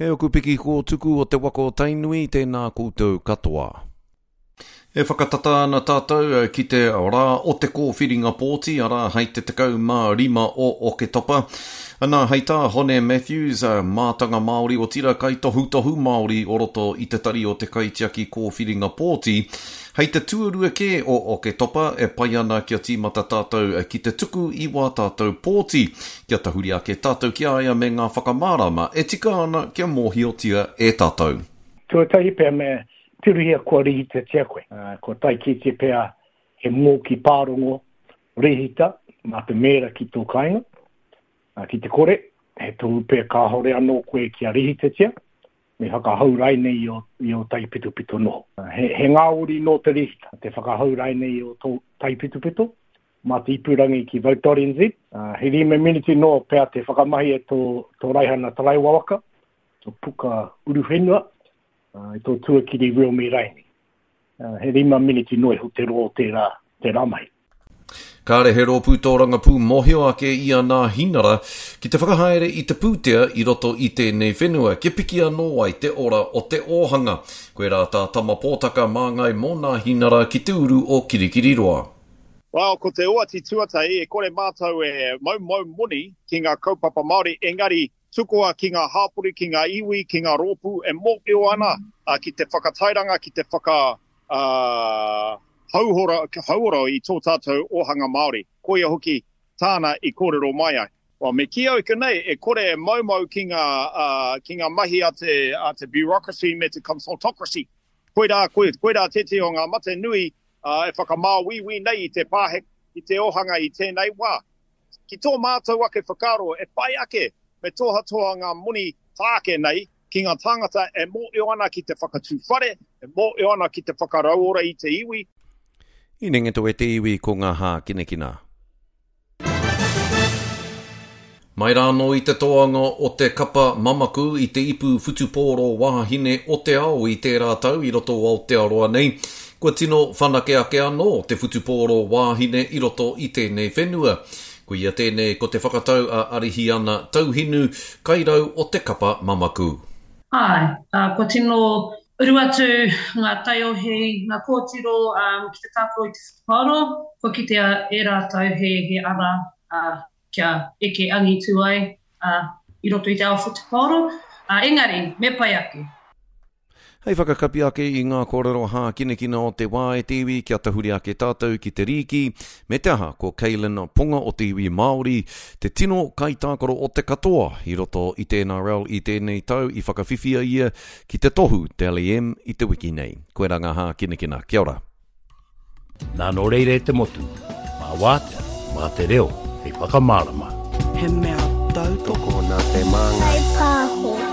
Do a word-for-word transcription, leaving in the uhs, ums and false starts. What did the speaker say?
Kei oku piki kōtuku o te waka o Tainui, tēnā koutou katoa. E whakatata ana tātou ki te rā o te kōwhiringa pōti, arā hei te tekau mā rima o Oketopa. Ana, hei tā Hone Matthews, mātanga Māori otirā kaitohutohu Māori o roto i te tari o te kaitiaki kōwhiringa pōti, hei te tuarua kē o Oketopa e pai ana kia tīmata tātou ki te tuku i wā tātou pōti, kia tahuri ake tātou ki a ia me ngā whakamārama e tika ana kia mōhiotia e tātou. Tuatahi pea me tirohia kua rihitatia koe. Uh, kua tae kētia pea he mōki pārongo rehita mā te mēra ki tō kāinga. Uh, ki te kore, he tohu pea kāhore anō koe kia rehitatia, me whakahau rainei i o, i o taipitopito noho. Uh, he, he ngāwari nō te rehita, te whakahau rainei i o tō taipitopito, mā te ipurangi ki vote dot N Z. Uh, he rima miniti noa pea te whakamahi e tō, tō raihana taraiwa waka, tō puka uruwhenua, uh, i tō tuakiri RealMe raini. Uh, he rima miniti noa iho te roa o tērā, tērā mahi. Kāre he rōpū tōrangapū mōhio ake i a Nāhinara ki te whakahaere i te pūtea i roto i tēnei whenua, kia piki anō ai te ora o te ōhanga. Koirā tā Tama Pōtaka māngai mō Nāhinara ki te uru o Kirikiriroa. Well, ko te oati tuatahi, e kore mātou e maumau moni ki ngā kaupapa Māori, engari tukua ki ngā hāpori, ki ngā iwi, ki ngā rōpū e mōhio ana, uh, ki te whakatairanga, ki te whaka, uh, hauora, hauora i tō tātou ōhanga Māori. Koia hoki tāna i kōrero mai ai. Well, me kī au konei, e kore e maumau ki ngā, uh, ki ngā mahi a te, a te bureaucracy me te consultocracy. Koirā, koirā tētehi o ngā mate nui, uh, e whakamāuiui nei i te pāhe, i te ōhanga i tēnei wā. Ki tō mātou ake whakaaro, e pai ake me tohatoha ngā moni tāke nei ki ngā tāngata e mōhio ana ki te whakatū whare, e mōhio ana ki te whakarauora i te iwi. I Nengeto e te iwi ko ngā hākinakina. Mai rānō i te toanga o te kapa mamaku i te ipu whutupōro wāhine o te ao i tērā tau i roto o Aotearoa nei, kua tino whanake ake anō te whutupōro wāhine i roto i tēnei whenua. Koia tēnei ko te whakatau a Arihiana Tauhinu, kairau o te kapa mamaku. Āe, kua tino uru atu ngā taiohi, ngā kōtiro um, ki te tākaro i te whutupaoro, kua kitea e rātou he, he ara uh, kia eke angitu ai uh, i roto i te ao whutupaoro. Uh, engari, me pai ake. Hei whakakapi ake i ngā kōrero hākinakina o te wā e te iwi, kia tahuri ake tātou ki te rīki, me te aha ko Kaylin Ponga o te iwi Māori, te tino kaitākaro o te katoa i roto i te N R L i tēnei tau i whakawhiwhia ia ki te tohu Dally M i te wiki nei. Koirā ngā hākinakina. Kia ora. Nā nō reira e te motu, mā wātea, mā te reo, hei whakamārama. He mea tautoko nā te māngai. Pāho.